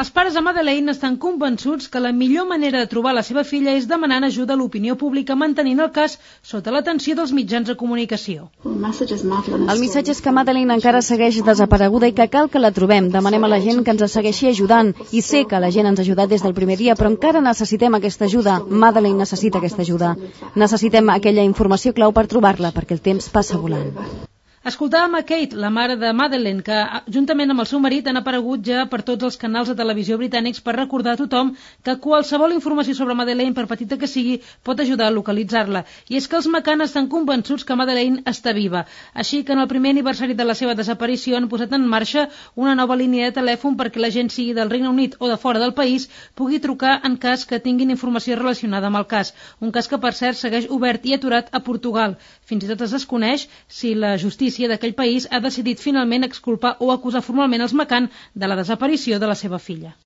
Els pares de Madeleine estan convençuts que la millor manera de trobar la seva filla és demanant ajuda a l'opinió pública mantenint el cas sota l'atenció dels mitjans de comunicació. El missatge és que Madeleine encara segueix desapareguda i que cal que la trobem. Demanem a la gent que ens segueixi ajudant i sé que la gent ens ha ajudat des del primer dia, però encara necessitem aquesta ajuda. Madeleine necessita aquesta ajuda. Necessitem aquella informació clau per trobar-la, perquè el temps passa volant. Escoltàvem a Kate, la mare de Madeleine, que juntament amb el seu marit han aparegut ja per tots els canals de televisió britànics per recordar a tothom que qualsevol informació sobre Madeleine, per petita que sigui, pot ajudar a localitzar-la. I és que els McCann estan convençuts que Madeleine està viva. Així que en el primer aniversari de la seva desaparició han posat en marxa una nova línia de telèfon perquè la gent, sigui del Regne Unit o de fora del país, pugui trucar en cas que tinguin informació relacionada amb el cas. Un cas que, per cert, segueix obert i aturat a Portugal. Fins i tot es desconeix si la justícia d'aquell país ha decidit finalment exculpar o acusar formalment els McCann de la desaparició de la seva filla.